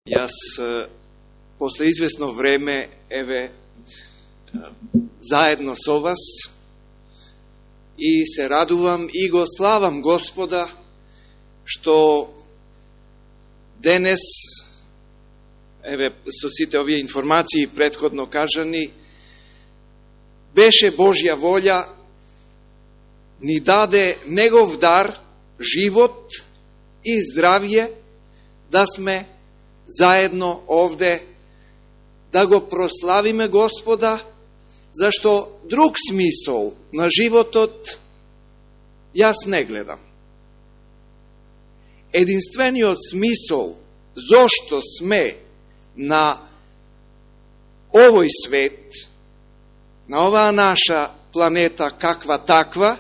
Јас после известно време, заедно со вас, и се радувам и го славам Господа, што денес, со сите овие информации претходно кажани, беше Божја волја, ни даде Негов дар, живот и здравје, да сме заедно овде, да го прославиме Господа, зашто друг смисол на животот јас не гледам. Единствениот смисол зошто сме на овој свет, на оваа наша планета каква таква,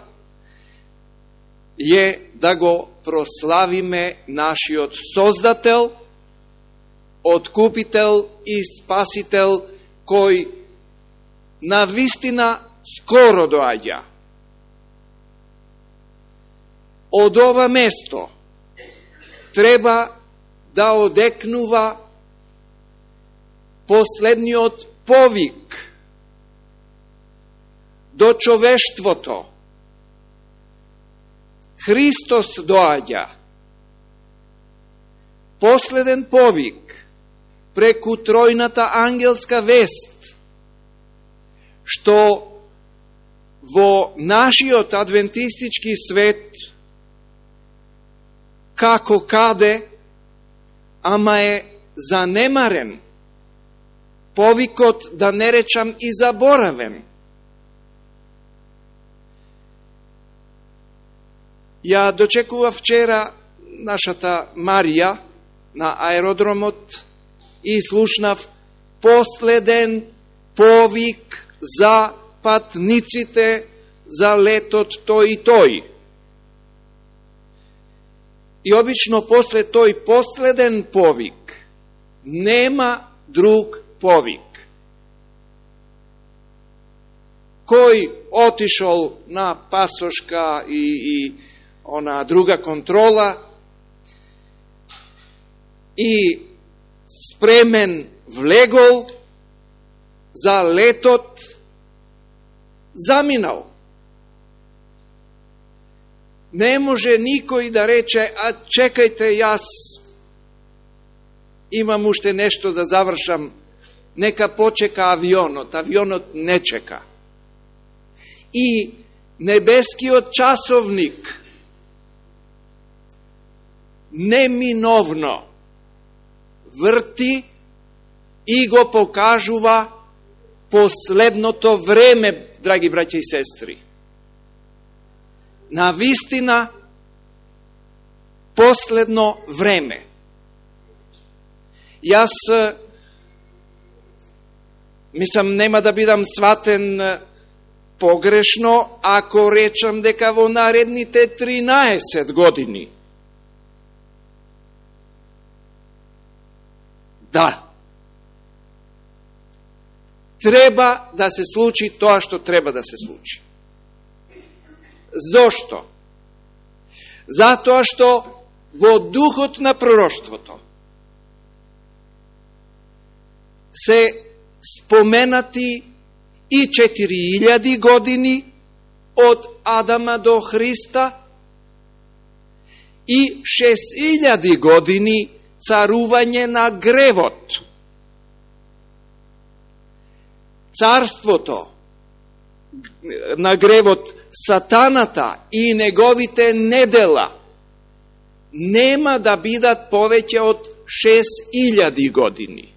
е да го прославиме нашиот Создател, Откупител и Спасител, кој на вистина скоро доаѓа. Од ова место треба да одекнува последниот повик до човештвото. Христос доаѓа. Последен повик преку тројната ангелска вест, што во нашиот адвентистички свет, како каде, ама е занемарен, повикот, да не речам, и заборавен. Ја дочекува вчера нашата Марија на аеродромот и слушнав последен повик за патниците за летот тој и тој. И обично после тој последен повик нема друг повик. Кој отишол на пасошка и она друга контрола и спремен влегол за летот, заминал. Не може никој да рече: а чекајте, јас имам уште нешто да завршам, нека почека авионот. Авионот не чека. И небескиот часовник неминовно врти и го покажува последното време, драги браќа и сестри. На вистина, последно време. Јас мислам, нема да бидам сватен погрешно ако речам дека во наредните 13 години треба да се случи тоа што треба да се случи. Зошто? Затоа што во духот на пророштвото се споменати и 4000 години од Адама до Христа и 6000 години царување на гревот. Царството на гревот, сатаната и неговите недела нема да бидат повеќе од 6000 години.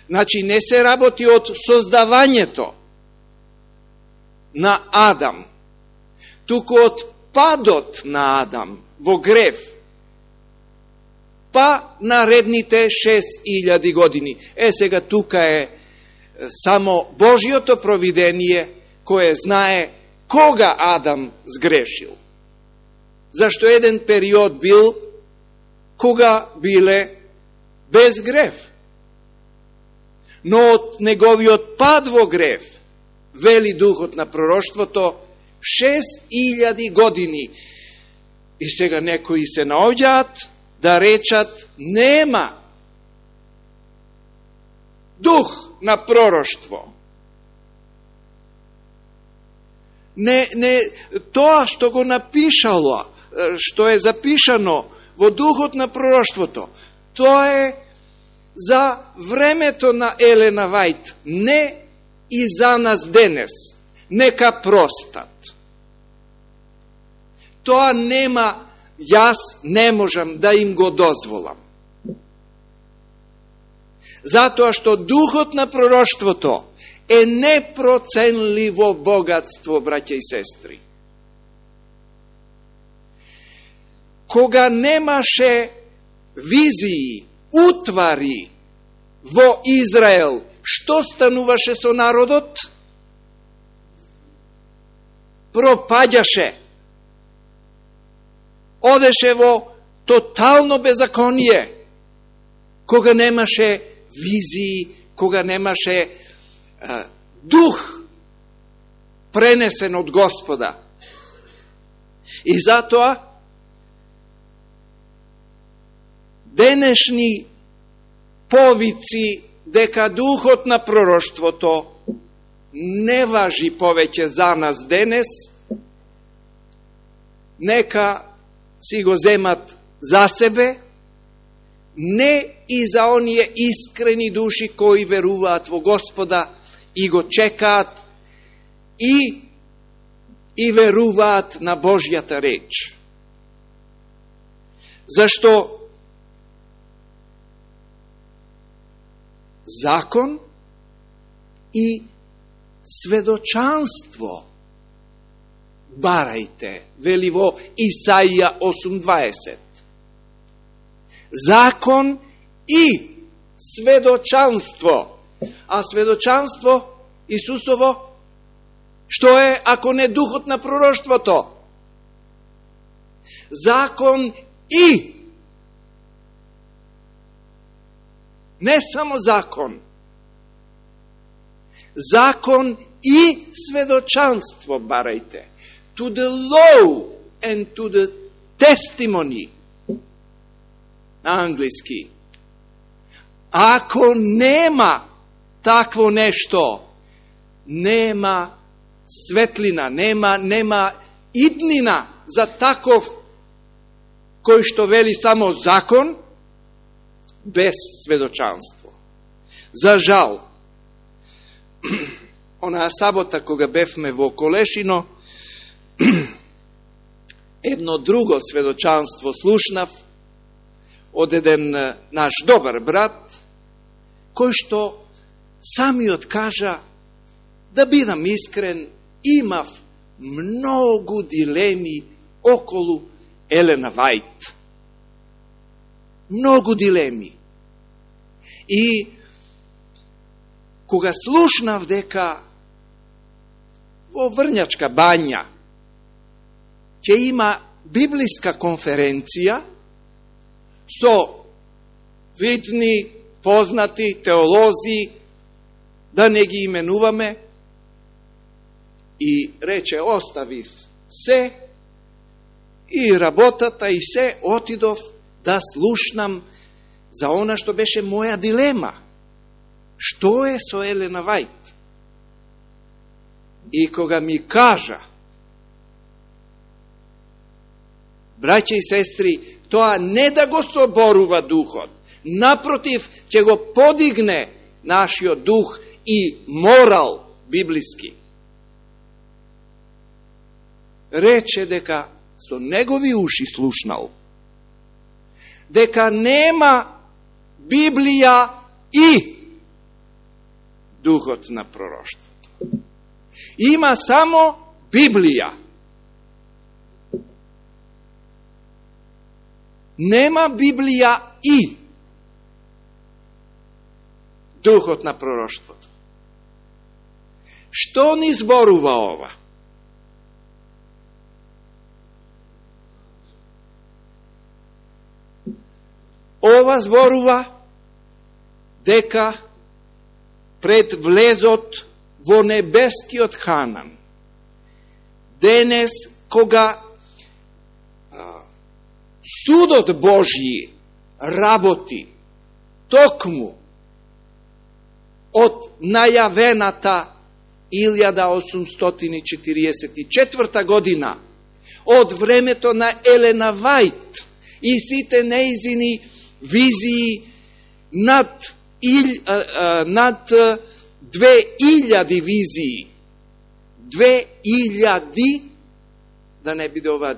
Значи, не се работи од создавањето на Адам, туку од падот на Адам во грев, па наредните 6000 години. Сега тука е само Божјото провидение, кое знае кога Адам сгрешил. Зашто еден период бил кога биле без грев. Но од неговиот пад во грев, вели духот на пророштвото, 6000 години. И сега некои се наоѓаат да речат нема дух на пророштво. Не тоа што го напишало, што е запишано во духот на пророштвото, тоа е за времето на Елена Вајт, не и за нас денес. Нека простат. Тоа нема, јас не можам да им го дозволам. Затоа што духот на пророштвото е непроценливо богатство, браќа и сестри. Кога немаше визии, утвари во Израел, што стануваше со народот? Пропаѓаше. Одеше во тотално беззаконие. Кога немаше визии, кога немаше дух пренесен од Господа. И затоа денешни повици дека духот на пророштвото не важи повеќе за нас денес, нека си го земат за себе, не и за оние искрени души кои веруваат во Господа и го чекаат и веруваат на Божјата реч. Зашто закон и сведочанство барајте, вели во Исаија 8:20. Закон и сведочанство. А сведочанство Исусово, што е ако не духот на пророштвото? Закон и не само закон. Закон и сведочанство барајте. To the law and to the testimony. На англиски. Ако нема такво нешто, нема светлина, нема иднина за таков кој што вели само закон, без сведочанство. За жал, онаа сабота кога бевме во Колешино, едно друго сведочанство слушнав од еден наш добар брат, кој што самиот кажа, да бидам искрен, имав многу дилеми околу Елена Вајт. Многу дилеми. И кога слушнав дека во Врњачка бања ќе има библиска конференција со видни, познати теолози, да не ги именуваме, и рече, оставив се, и работата, и се, отидов да слушнам за она што беше моја дилема. Што е со Елена Вајт? И кога ми кажа, браќа и сестри, тоа не да го соборува духот, напротив, ќе го подигне нашиот дух и морал библиски. Рече дека со негови уши слушнал, дека нема Библија и духот на пророштвото. Има само Библија. Нема Библија и духот на пророштвото. Што ни зборува ова? Ова зборува дека пред влезот во небескиот Ханан, денес кога судот Божји работи токму од најавената 1844 година, од времето на Елена Вајт и сите неизини визии над 2000 визии. 2000, да не биде ова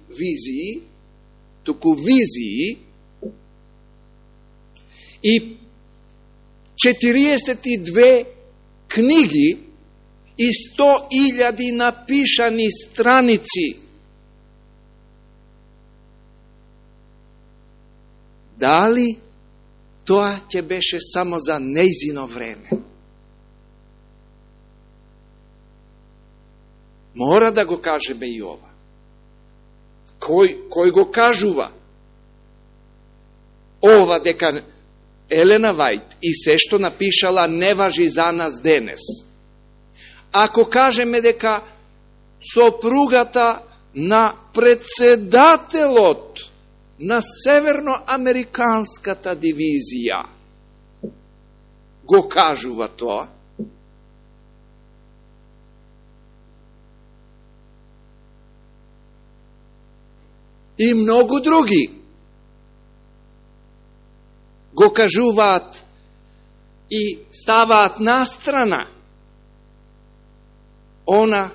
визии, туку визии, и 42 книги и 100.000 напишани страници. Дали тоа ќе беше само за нејзино време? Мора да го кажеме и ова. Кој го кажува? Ова дека Елена Вајт и се што напишала не важи за нас денес. Ако кажеме дека сопругата на председателот на Северноамериканската дивизија го кажува тоа, и многу други го кажуваат и ставаат настрана она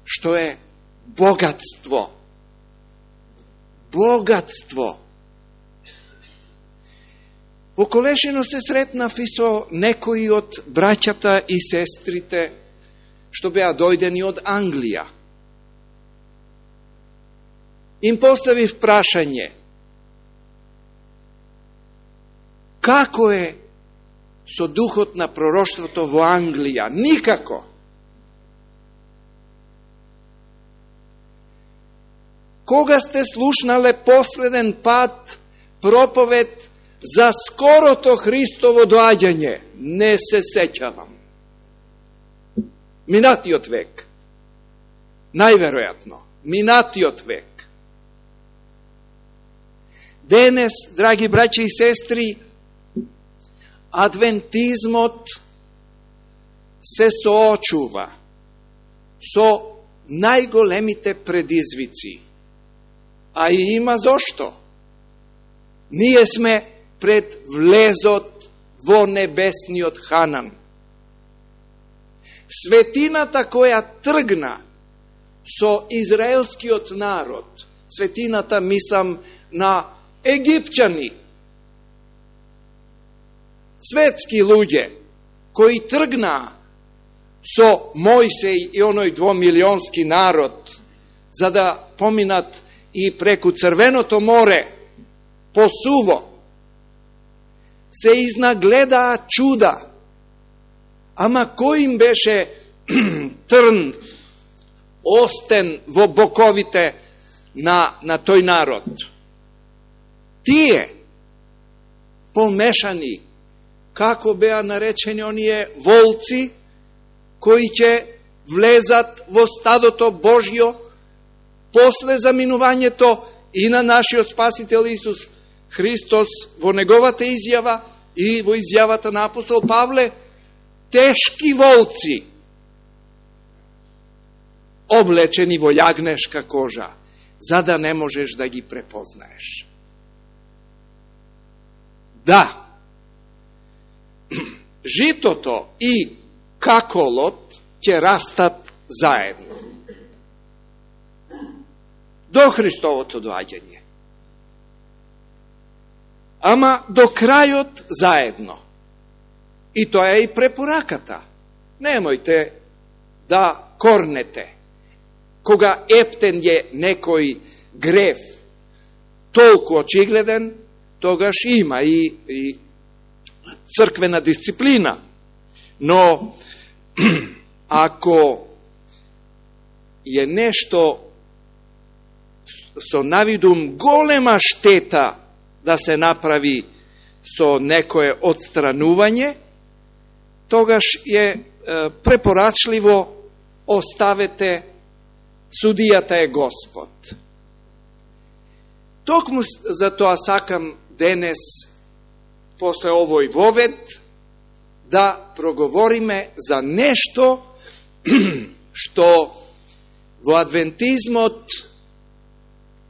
што е богатство. Богатство. Во Колешино се сретнав и со некои од браќата и сестрите што беа дојдени од Англија. Им поставив прашање: како е со духот на пророштвото во Англија? Никако. Кога сте слушнале последен пат проповед за скорото Христово доаѓање? Не се сеќавам. Минатиот век. Најверојатно. Минатиот век. Денес, драги браќи и сестри, адвентизмот се соочува со најголемите предизвици. А и има зошто. Ние сме пред влезот во небесниот Ханан. Светината која тргна со израелскиот народ, светината, мислам на египчани, светски луѓе, кои тргнаа со Мојсей и оној 2-милионски народ, за да поминат и преку Црвеното море, по суво, се изнагледаа чуда. Ама кој им беше трн, остен во боковите на тој народ? Тие, помешани, како беа наречени оние волци, кои ќе влезат во стадото Божјо после заминувањето и на нашиот Спасител Исус Христос во неговата изјава и во изјавата на апостол Павле, тешки волци, облечени во јагнешка кожа, за да не можеш да ги препознаеш. Да, житото и каколот ќе растат заедно до Христовото доаѓање. Ама до крајот заедно. И тоа е и препораката. Немојте да корнете. Кога ептен е некој греф толку очигледен, тогаш има и црквена дисциплина. Но ако е нешто со навидум голема штета да се направи со некое отстранување, тогаш е препорачливо оставете, судијата е Господ. Токму за тоа сакам денес, после овој вовед, да проговориме за нешто што во адвентизмот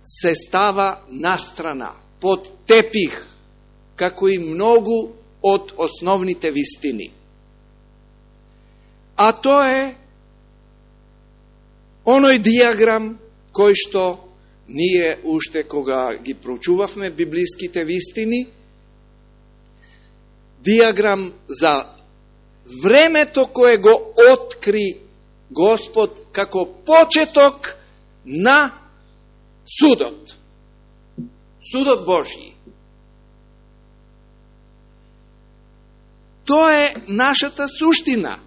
се става настрана, под тепих, како и многу од основните вистини. А тоа е оној диаграм кој што ние уште кога ги проучувавме библиските вистини, диаграм за времето кое го откри Господ како почеток на судот. Судот Божји. Тоа е нашата суштина,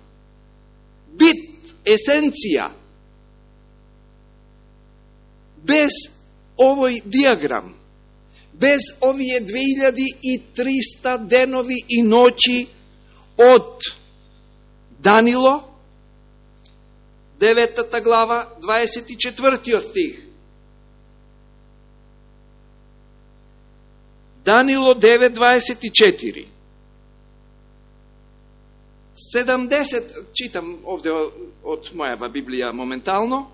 бит, есенција. Без овој диаграм, без овие 2300 денови и ноќи од Данило, 9 глава, 24 стих. Данило 9:24. 70, читам овде од мојава Библија моментално,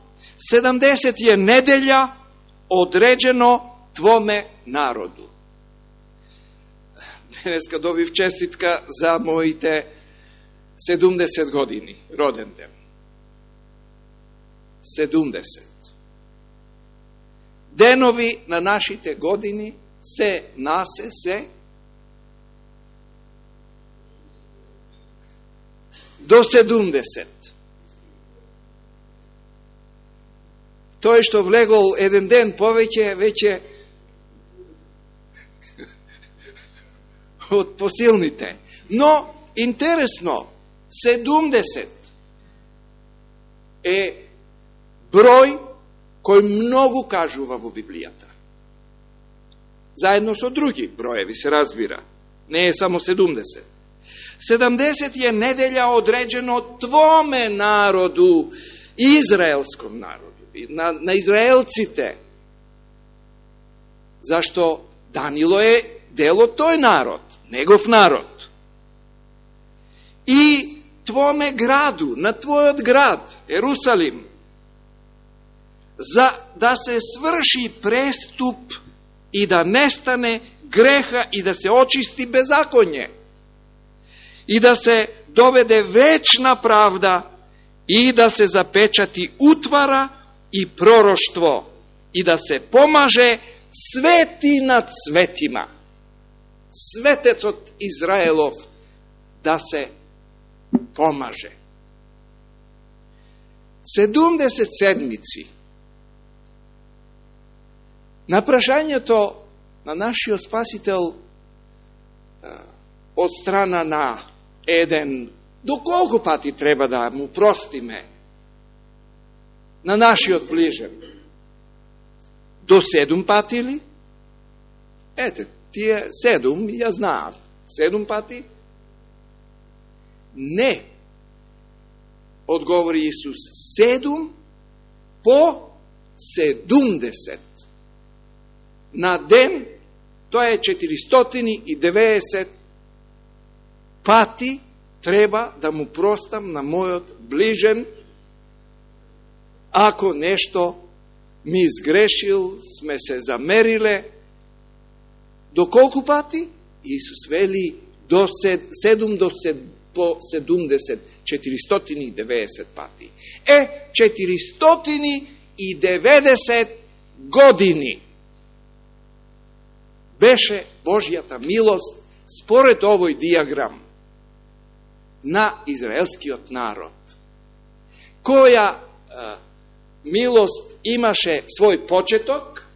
70 е неделја одреđено твоме народу. Денеска добив честитка за моите 70 години роден ден. 70. Денови на нашите години се до 70. Тој што влегол еден ден повеќе, веќе од посилните. Но, интересно, 70 е број кој многу кажува во Библијата. Заедно со други броеви се разбира. Не е само 70. 70 е неделја одреđено твоме народу, израелском народу, на израелците. Зашто Данило е дел од тој народ, негов народ. И твоме граду, на твојот град, Ерусалим, за да се сврши преступ и да нестане греха и да се очисти беззаконје и да се доведе вечна правда и да се запечати утвара и пророштво и да се помаже свети над светима. Светецот Израелов да се помаже. 70 седмици. На прашањето на нашиот Спасител од страна на еден, доколку пати треба да му простиме на нашиот ближен? До 7 пати ли? Ете, тие 7, ја знаат. 7 пати? Не. Одговори Исус, 7 по 70. На ден, тоа е 490 пати треба да му простам на мојот ближен, ако нешто ми изгрешил, сме се замериле. До колку пати? Исус вели до 7 по 70, 490 пати. 490 години беше Божјата милост според овој диаграм на израелскиот народ. Која милост имаше свој почеток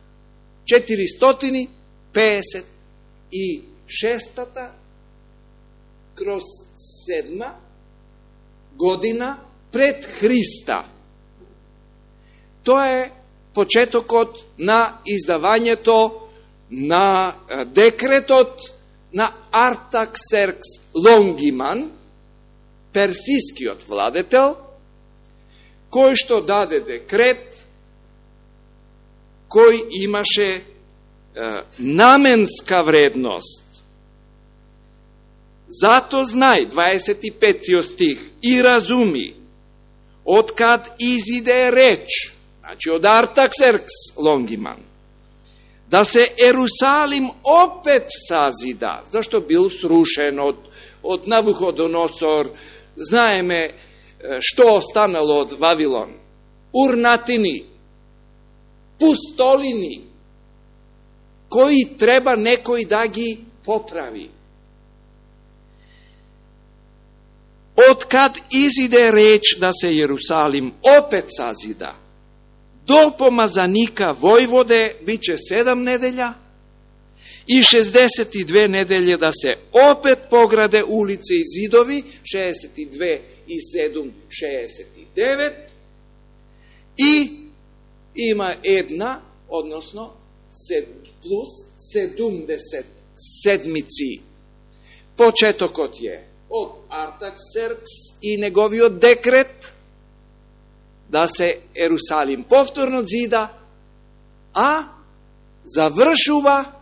456 кроз 7 година пред Христа. Тоа е почетокот на издавањето на декретот на Артаксеркс Лонгиман, персискиот владетел, кој што даде декрет, кој имаше наменска вредност. Зато знај, 25 стих, и разуми, откад изиде реч, значи од Артаксеркс Лонгиман, да се Ерусалим опет сазида, зашто бил срушен од Навуходоносор. Знаеме што останало од Вавилон. Урнатини, пустолини, кои треба некој да ги поправи. Откад изиде реч да се Јерусалим опет сазида, до помазаника војводе биче 7 неделја и 62 неделје да се опет пограде улице и зидови, 62 и 7, 69, и има една, односно плюс 70 седмици. Почетокот е од Артаксеркс и неговиот декрет да се Ерусалим повторно зида, а завршува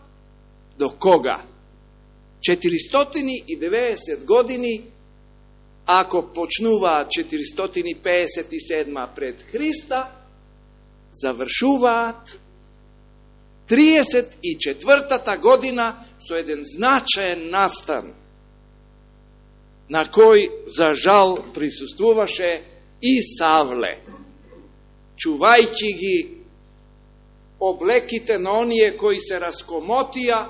до кога? 490 години, ако почнуваат 457 пред Христа, завршуваат 34-та година со еден значаен настан, на кој, за жал, присуствуваше и Савле, чувајќи ги облеките на оние кои се раскомотија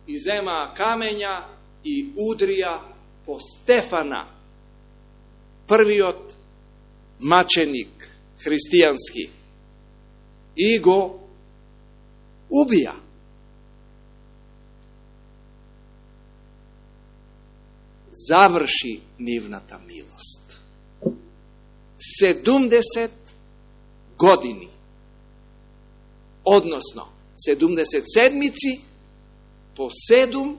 и земаа камења и удрија по Стефана, првиот маченик христијански, и го убија. Заврши нивната милост. 70 години, односно 70 седмици по 7,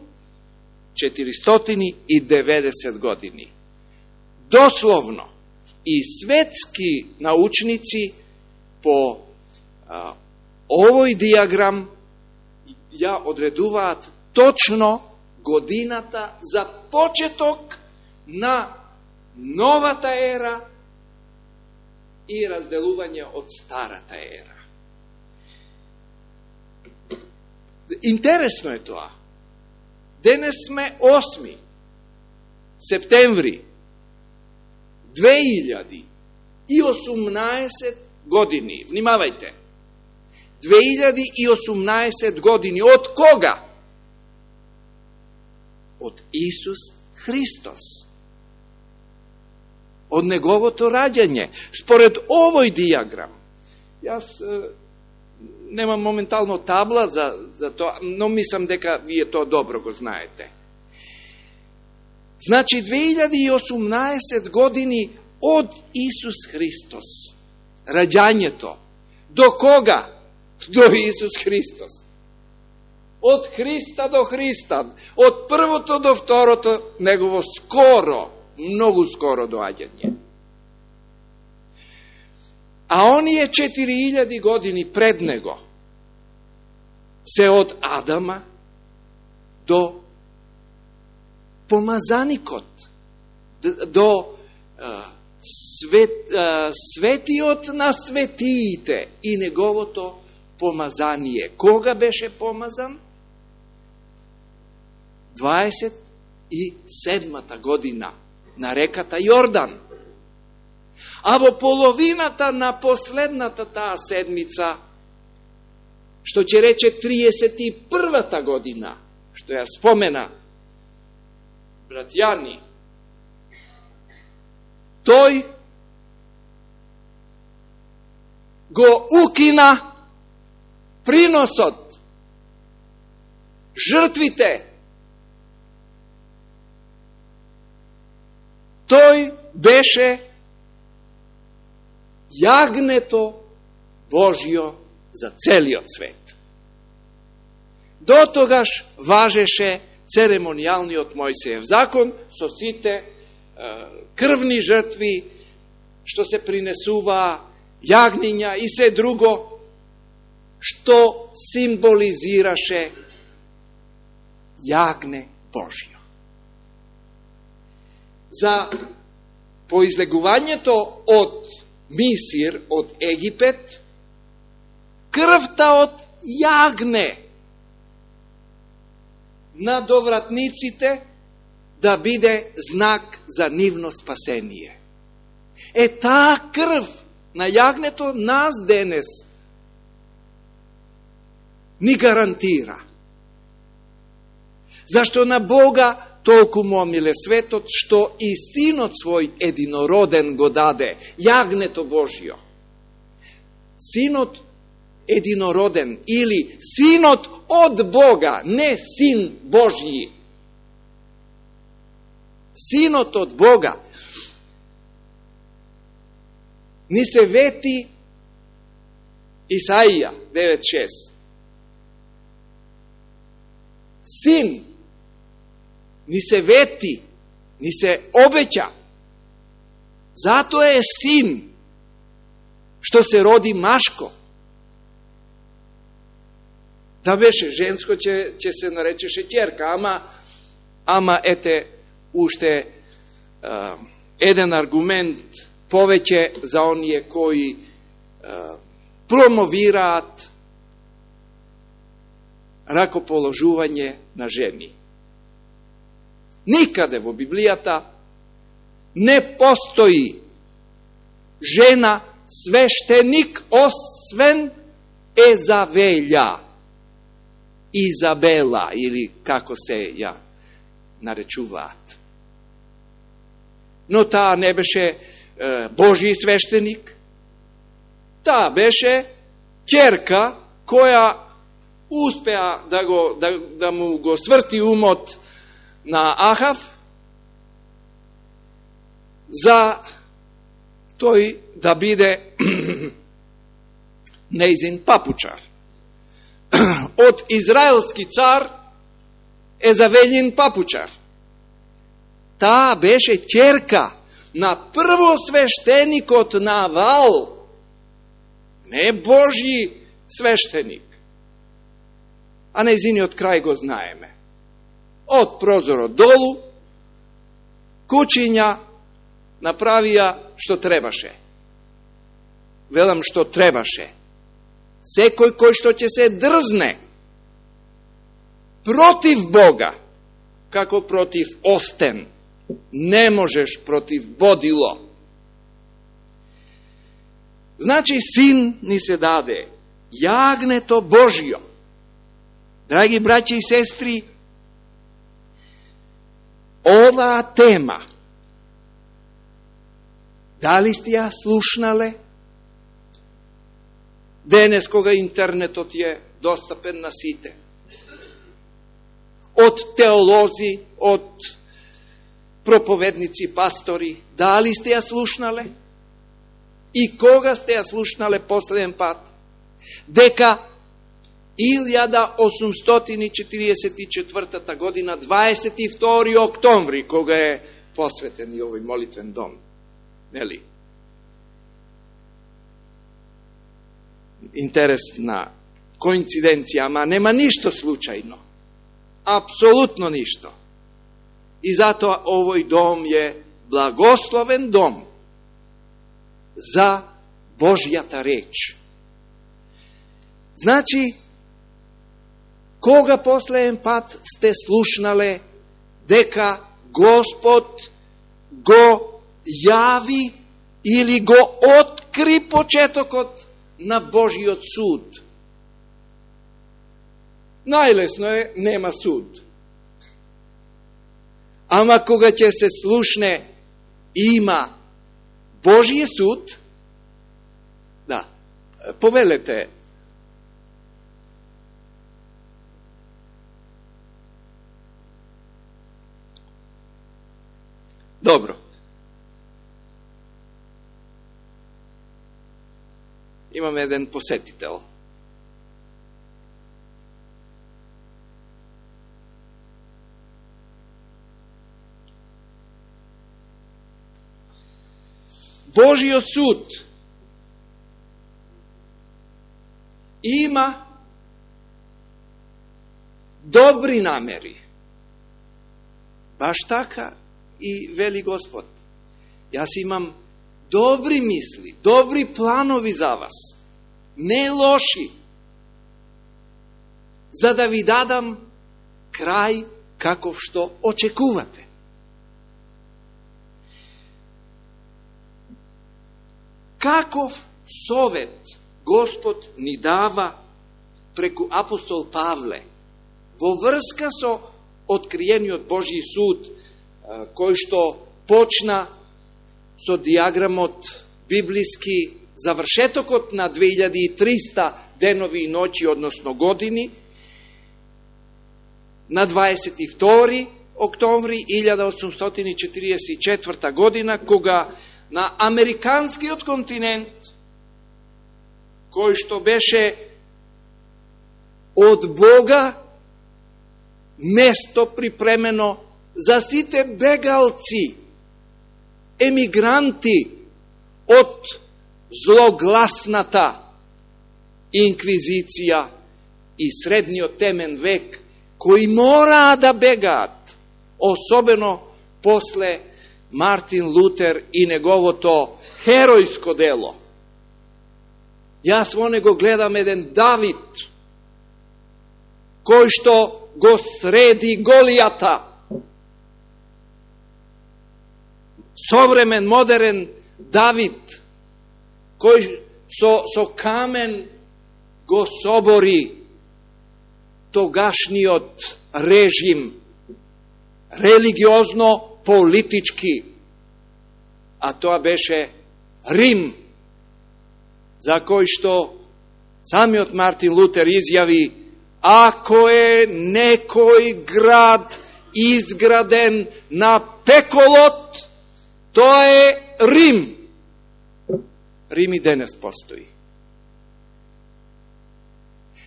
490 години. Дословно, и светски научници по овој диаграм ја одредуваат точно годината за почеток на новата ера и разделување од старата ера. Интересно е тоа. Денес сме 8 септември 2018 години. Внимавајте. 2018 години. Од кога? Од Исус Христос. Од неговото раѓање. Според овој диаграм, јас немам моментално табла за тоа, но мислам дека вие тоа добро го знаете. Значи, 2018 години од Исус Христос. Раѓањето. До кога? До Исус Христос. Од Христа до Христа. Од првото до второто негово скоро, многу скоро доаѓање. А оние 4000 години пред него се од Адама до помазаникот, до светиот на светиите и неговото помазание. Кога беше помазан? 27-та година на реката Јордан. А во половината на последната таа седмица, што ќе рече 31-та година, што ја спомена брат Јани, тој го укина приносот, жртвите. Тој беше јагнето Божјо за целиот свет. До тогаш важеше церемонијалниот Мојсеев закон со сите крвни жртви што се принесува, јагниња и се друго. што символизираше јагне Божјо. За поизлегувањето од Мисир, од Египет, крвта од јагне на довратниците да биде знак за нивно спасение. Таа крв на јагнето нас денес ни гарантира. Зашто на Бога толку му омиле светот, што и Синот свој единороден го даде, јагнето Божјо. Синот единороден или Синот од Бога, не Син Божји. Синот од Бога. Ни се вети Исаија 9.6. Син ни се вети, ни се обеќа. Зато е син што се роди машко. Да беше женско, ќе се наречеше ќерка, ама ете уште еден аргумент повеќе за оние кои промовираат ракоположување на жени. Никаде во Библијата не постои жена свештеник освен Езавелја, Изабела или како се ја наречуваат. Но таа не беше Божји свештеник, таа беше ќерка која успеа да му го сврти умот на Ахав за тој да биде нејзин папучар. Од израелски цар Езавелјин папучар. Таа беше ќерка на првосвештеникот Навал, не Божји свештеник. А нејзиниот крај го знаеме. Од прозорот долу, кучиња направија што требаше. Велам што требаше. Секој кој што ќе се дрзне против Бога, како против остен, не можеш против бодило. Значи, син ни се даде, јагнето Божјо. Драги браќи и сестри, оваа тема, дали сте ја слушнале? Денес кога интернетот е достапен на сите. Од теолози, од проповедници, пастори, дали сте ја слушнале? И кога сте ја слушнале последен пат? Дека 1844 година, 22. октомври, кога е посветен и овој молитвен дом. Нели? Интересна коинциденција, ама нема ништо случајно. Апсолутно ништо. И затоа овој дом е благословен дом за Божјата реч. Значи, кога последен пат сте слушнале дека Господ го јави или го откри почетокот на Божиот суд? Најлесно е, нема суд. Ама кога ќе се слушне има Божије суд, да, повелете. Добро. Имаме еден посетител. Божиот суд има добри намери. Баш така и вели Господ. Јас имам добри мисли, добри планови за вас, не лоши, за да ви дадам крај каков што очекувате. Каков совет Господ ни дава преку апостол Павле во врска со откриениот Божји суд, кој што почна со диаграмот библиски завршетокот на 2300 денови и ноќи, односно години, на 22. октомври 1844 година, кога на американскиот континент, кој што беше од Бога место припремено за сите бегалци, емигранти од злогласната инквизиција и средниот темен век, кои мораа да бегаат, особено после Мартин Лутер и неговото херојско дело. Јас во него гледам еден Давид, кој што го среди Голијата. Современ, модерен Давид, кој со камен го собори тогашниот режим, религиозно, политички, а тоа беше Рим, за кој што самиот Мартин Лутер изјави: ако е некој град изграден на пеколот, тоа е Рим. Рим и денес постои.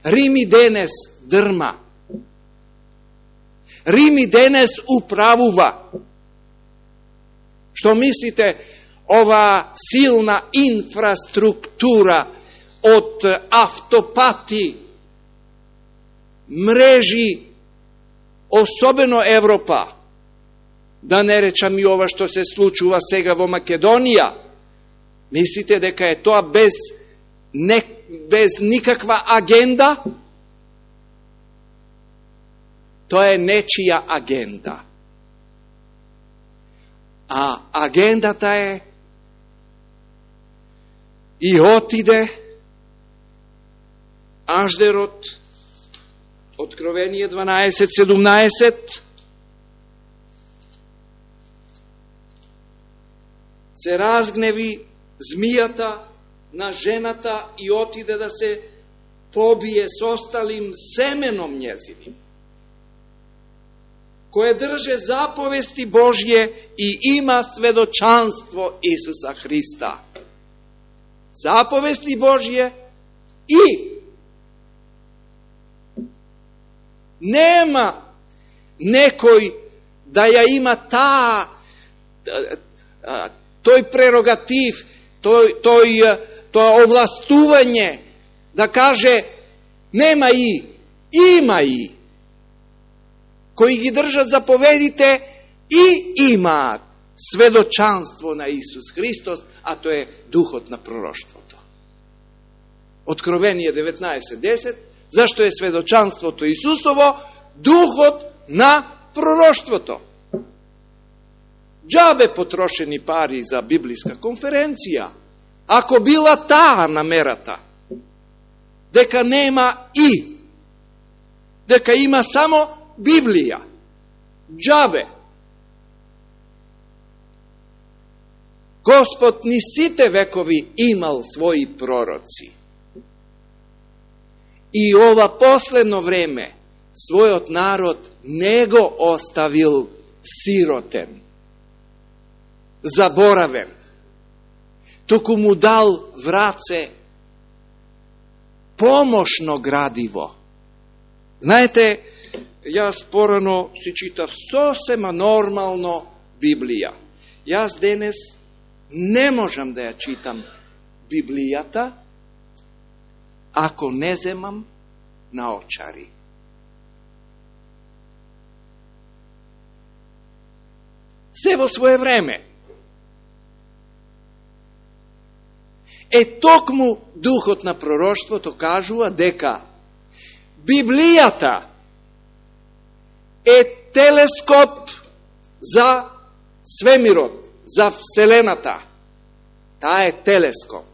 Рим и денес дрма. Рим и денес управува. Што мислите, ова силна инфраструктура од автопати, мрежи, особено Европа, да не речам и ова што се случува сега во Македонија, мислите дека е тоа без никаква агенда? Тоа е нечија агенда. А агендата е и отиде Аждерот, Откровение 12:17, се разгневи змијата на жената и отиде да се побие со осталим семеном њезиним, кое држе заповести Божје и има сведочанство Исуса Христа. Заповести Божје и нема некој да ја има тој прерогатив, тоа овластување да каже нема и, има и. Кои ги држат заповедите и имаат сведочанство на Исус Христос, а тоа е духот на пророштвото. Откровение 19:10, зашто е сведочанството Исусово духот на пророштвото. Џабе потрошени пари за библиска конференција, ако била таа намерата, дека нема и, дека има само Библија. Џабе. Господ ни сите векови имал своји пророци. И ова последно време својот народ не го оставил сиротен, заборавен, туку му дал враце помошно градиво. Знаете, јас порано си читав сосема нормално Библија. Јас денес не можам да ја читам Библијата ако не земам наочари. Се во свое време. Токму духот на пророштвото кажува дека Библијата е телескоп за свемирот, за Вселената. Таа е телескоп.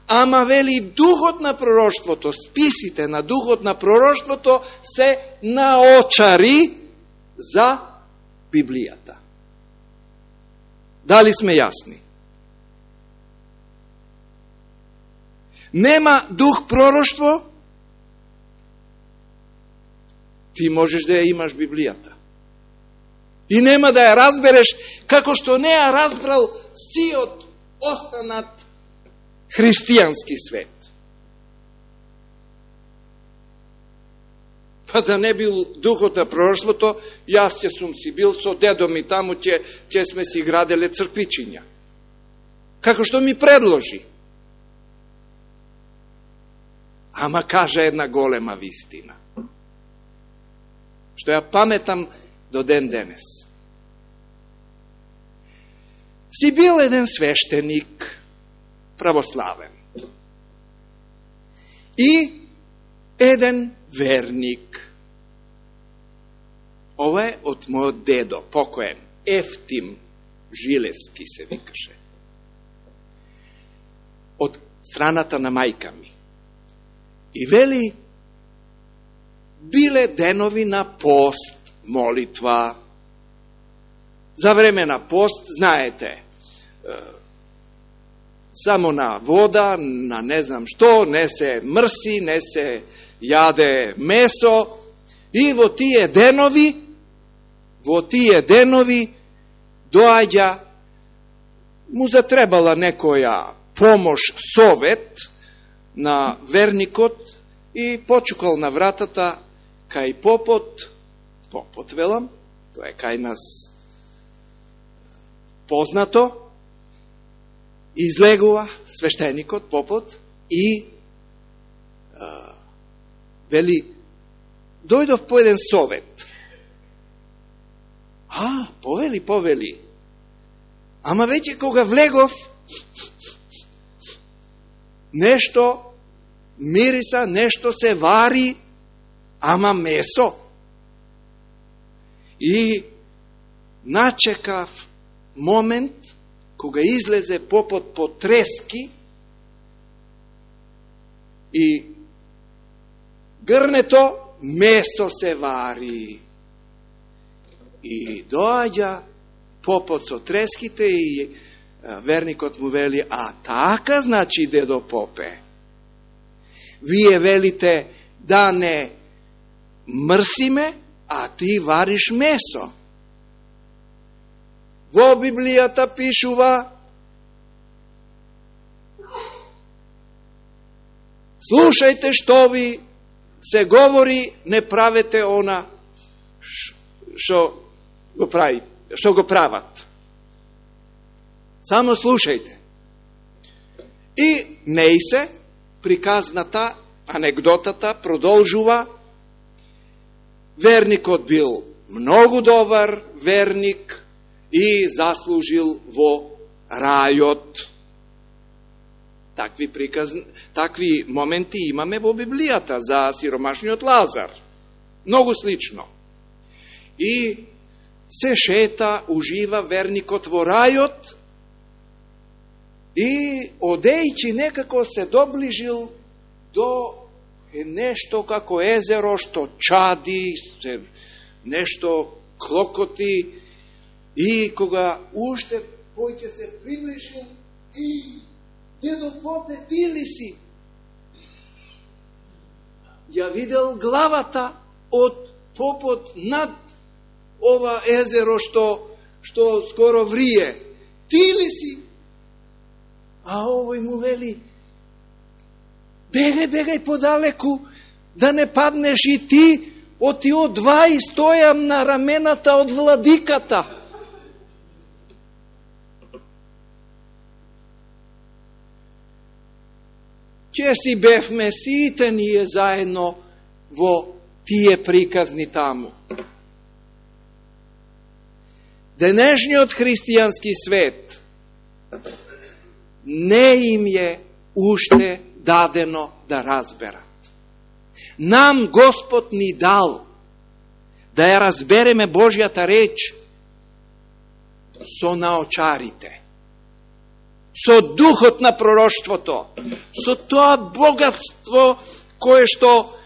Ама вели духот на пророштвото, списите на духот на пророштвото се наочари за Библијата. Дали сме јасни? Нема дух пророштво, ти можеш да ја имаш Библијата. И нема да ја разбереш како што не ја разбрал сиот останат христијански свет. Па да не бил духот на пророштвото, јас ќе сум си бил со дедом и таму ќе сме си граделе црквичиња. Како што ми предложи. Ама кажа една голема вистина, што ја паметам до ден денес. Си бил еден свештеник, православен, и еден верник. Ова е од мојот дедо, покоен, Ефтим Жилески се викаше. Од страната на мајка ми. И вели, биле денови на пост, молитва. За време на пост, знаете, само на вода, на не знам што, не се мрси, не се јаде месо. И во тие денови доаѓа, му затребала некоја помош, совет на верникот и почукал на вратата кај попот велам, тоа е кај нас познато, излегува свештеникот, попот, и вели, дојдов по еден совет. Повели. Ама веќе кога влегов, нешто мириса, нешто се вари, ама месо. И начекав момент кога излезе попот по трески и грнето месо се вари. И доаѓа попот со треските и верникот му вели, а така значи дедо попе. Вие велите да не мрсиме, а ти вариш месо. Во Библијата пишува, слушајте што ви се говори, не правете она што го прават. Само слушајте. И Неисе, приказната, анегдотата продолжува. Верникот бил многу добар верник и заслужил во рајот. Такви моменти имаме во Библијата за сиромашниот Лазар. Многу слично. И се шета, ужива верникот во рајот и одејќи некако се доближил до нешто како езеро што чади, нешто клокоти, и кога уште поќе се приближил и дедо попе, ти ли си? Ја видел главата од попот над ова езеро што скоро врие. Ти ли си? А овој му вели, бегај подалеку, да не паднеш и ти, од тие два и стојам на рамената од владиката. ќе си бевме сите ние заедно во тие приказни таму. Денешниот христијански свет не им е уште дадено да разберат. Нам Господ ни дал да ја разбереме Божјата реч со наочарите, со духот на пророштвото, со тоа богатство кое што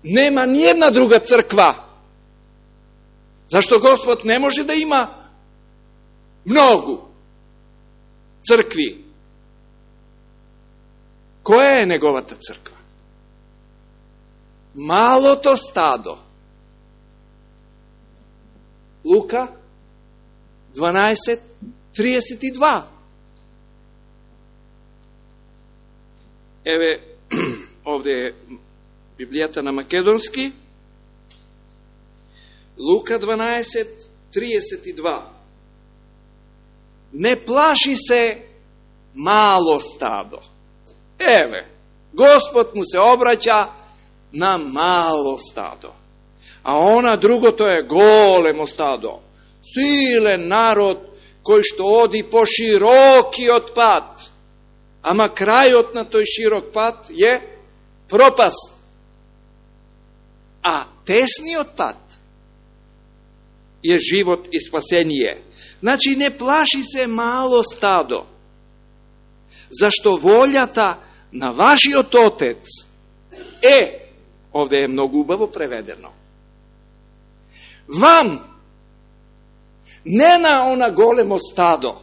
нема ни една друга црква. Зашто Господ не може да има многу цркви. Која е неговата црква? Малото стадо. Лука 12:32. Еве, овде е Библијата на македонски. Лука 12:32. Не плаши се мало стадо. Еве, Господ му се обраќа на мало стадо. А она другото е големо стадо. Силен народ кој што оди по широкиот пат. Ама крајот на тој широк пат е пропаст. А тесниот пат е живот и спасение. Значи не плаши се мало стадо. Зашто волјата на вашиот Отец е, овде е многу убаво преведено, вам, не на она големо стадо,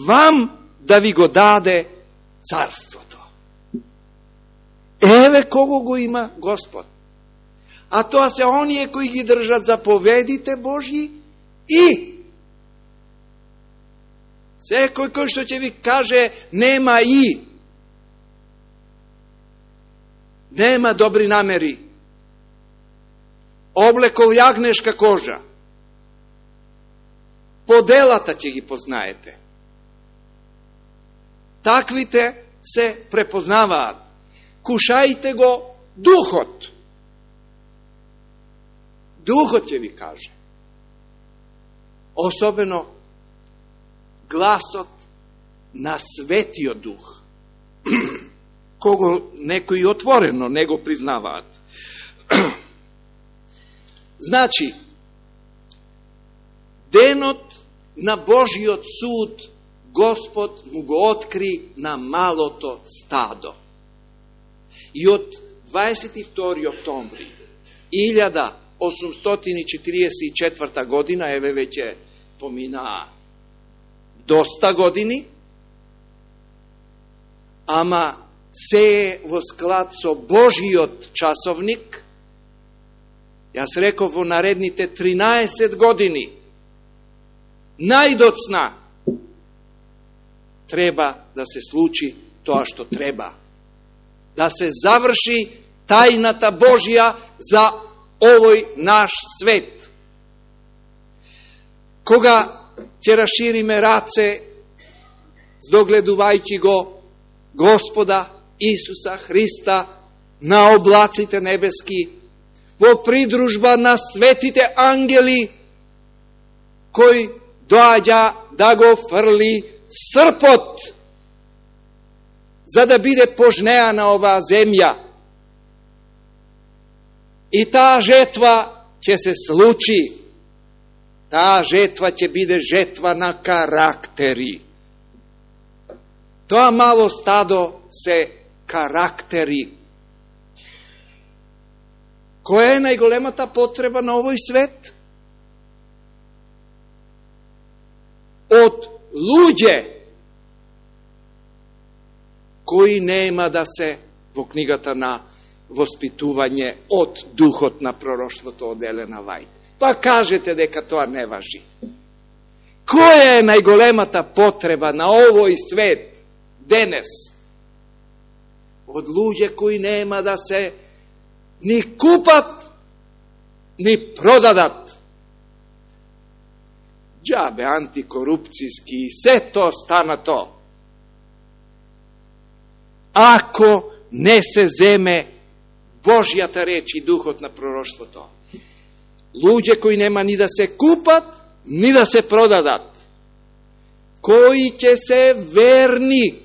вам да ви го даде царството. Еве кого го има Господ. А тоа се оние кои ги држат заповедите Божји и секој кој што ќе ви каже нема нема добри намери, облекол јагнешка кожа, по делата ќе ги познаете. Таквите се препознаваат. Кушајте го духот. Духот ќе ви каже. Особено гласот на Светиот Дух, кого некои отворено не го признаваат. Значи, денот на Божиот суд Господ му го откри на малото стадо. И од 22. октомври 1844 година, еве веќе поминаа доста години, ама се е во склад со Божиот часовник. Јас реков во наредните 13 години, најдоцна треба да се случи тоа што треба. Да се заврши тајната Божја за овој наш свет. Кога ќе расшириме раце, здогледувајќи го Господа Исуса Христа на облаците небески, во придружба на светите ангели, кој доаѓа да го фрли српот, за да биде пожнеана оваа земја. И таа жетва ќе се случи. Таа жетва ќе биде жетва на карактери. Тоа мало стадо се карактери. Која е најголемата потреба на овој свет? Од луѓе кои нема да се во книгата на воспитување од духот на пророштвото од Елена Вајт. Па кажете дека тоа не важи. Која е најголемата потреба на овој свет денес? Од луѓе кои нема да се ни купат, ни продадат. Џабе антикорупцијски и се тоа стана тоа. ако не се земе Божјата реч и духот на пророштвото. Луѓе кои нема ни да се купат, ни да се продадат, кои ќе се верни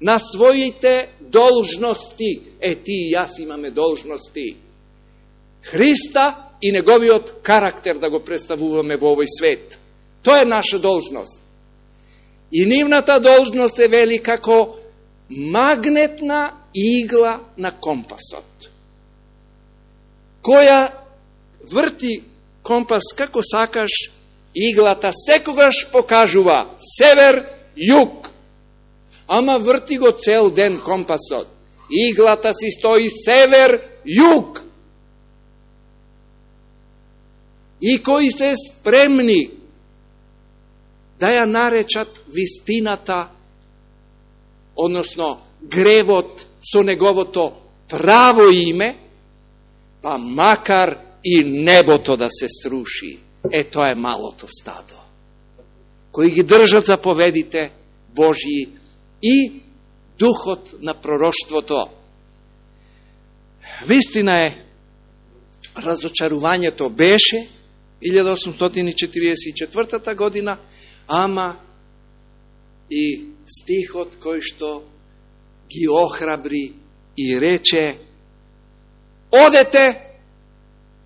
на своите должности. Ти и јас имаме должности. Христа и неговиот карактер да го представуваме во овој свет. Тоа е наша должност. И нивната должност е вели како магнетна игла на компасот, која врти компас како сакаш, иглата секогаш покажува север-југ, ама врти го цел ден компасот. Иглата си стои север-југ. И кои се спремни да ја наречат вистината, односно гревот со неговото право име, па макар и небото да се сруши. Тоа е малото стадо, кои ги држат заповедите Божји и духот на пророштвото. Вистина е, разочарувањето беше 1844 година, ама и стихот кој што ги охрабри и рече: одете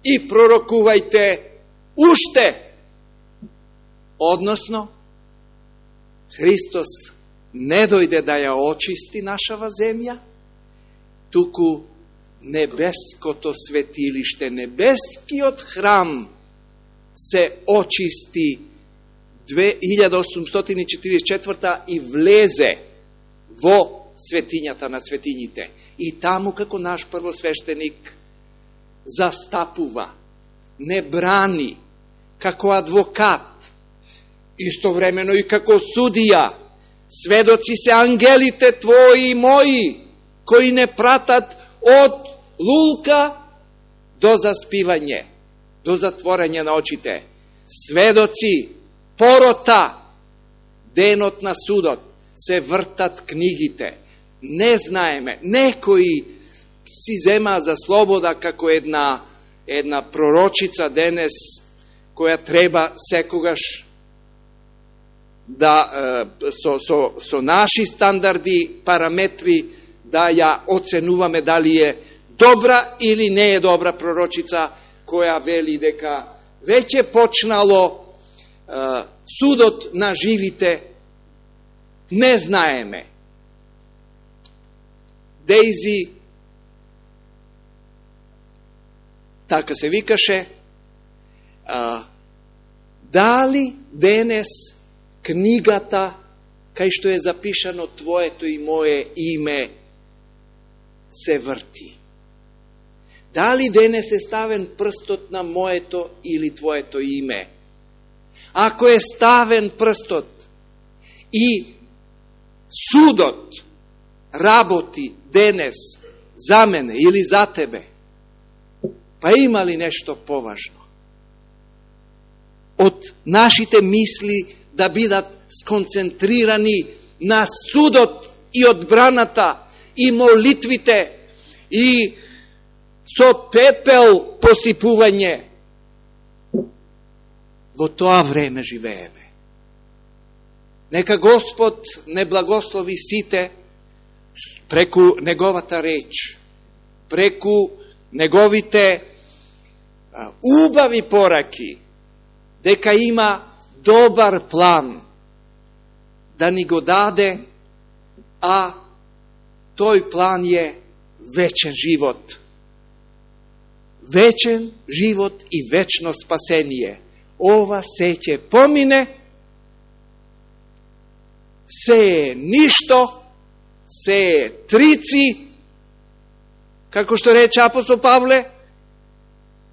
и пророкувајте уште. Односно, Христос не дојде да ја очисти нашава земја, туку небеското светилиште, небескиот храм се очисти 1844 и влезе во светињата на светињите. И таму како наш првосвештеник застапува, не брани, како адвокат, истовремено и како судија. Сведоци се ангелите твои и мои, кои не пратат од лулка до заспивање, до затворање на очите. Сведоци, порота, денот на судот, се вртат книгите. Не знаеме, некои си зема за слобода како една пророчица денес, која треба секогаш да со наши стандарди, параметри, да ја оценуваме дали е добра или не е добра пророчица, која вели дека веќе почнало судот на живите. Не знаеме. Дейзи, така се викаше, дали денес книгата, кај што е запишано твоето и мое име, се врти? Дали денес е ставен прстот на моето или твоето име? Ако е ставен прстот и судот работи денес за мене или за тебе, па има ли нешто поважно од нашите мисли да бидат сконцентрирани на судот и одбраната и молитвите и со пепел посипување? Во тоа време живееме. Нека Господ не благослови сите преку неговата реч, преку неговите убави пораки, дека има добар план да ни го даде, а тој план е вечен живот. Вечен живот и вечно спасение. Ова се ќе помине, се е ништо, се е трици, како што рече апостол Павле,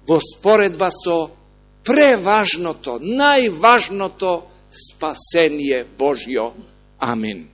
во споредба со преважното, најважното спасение Божјо. Амин.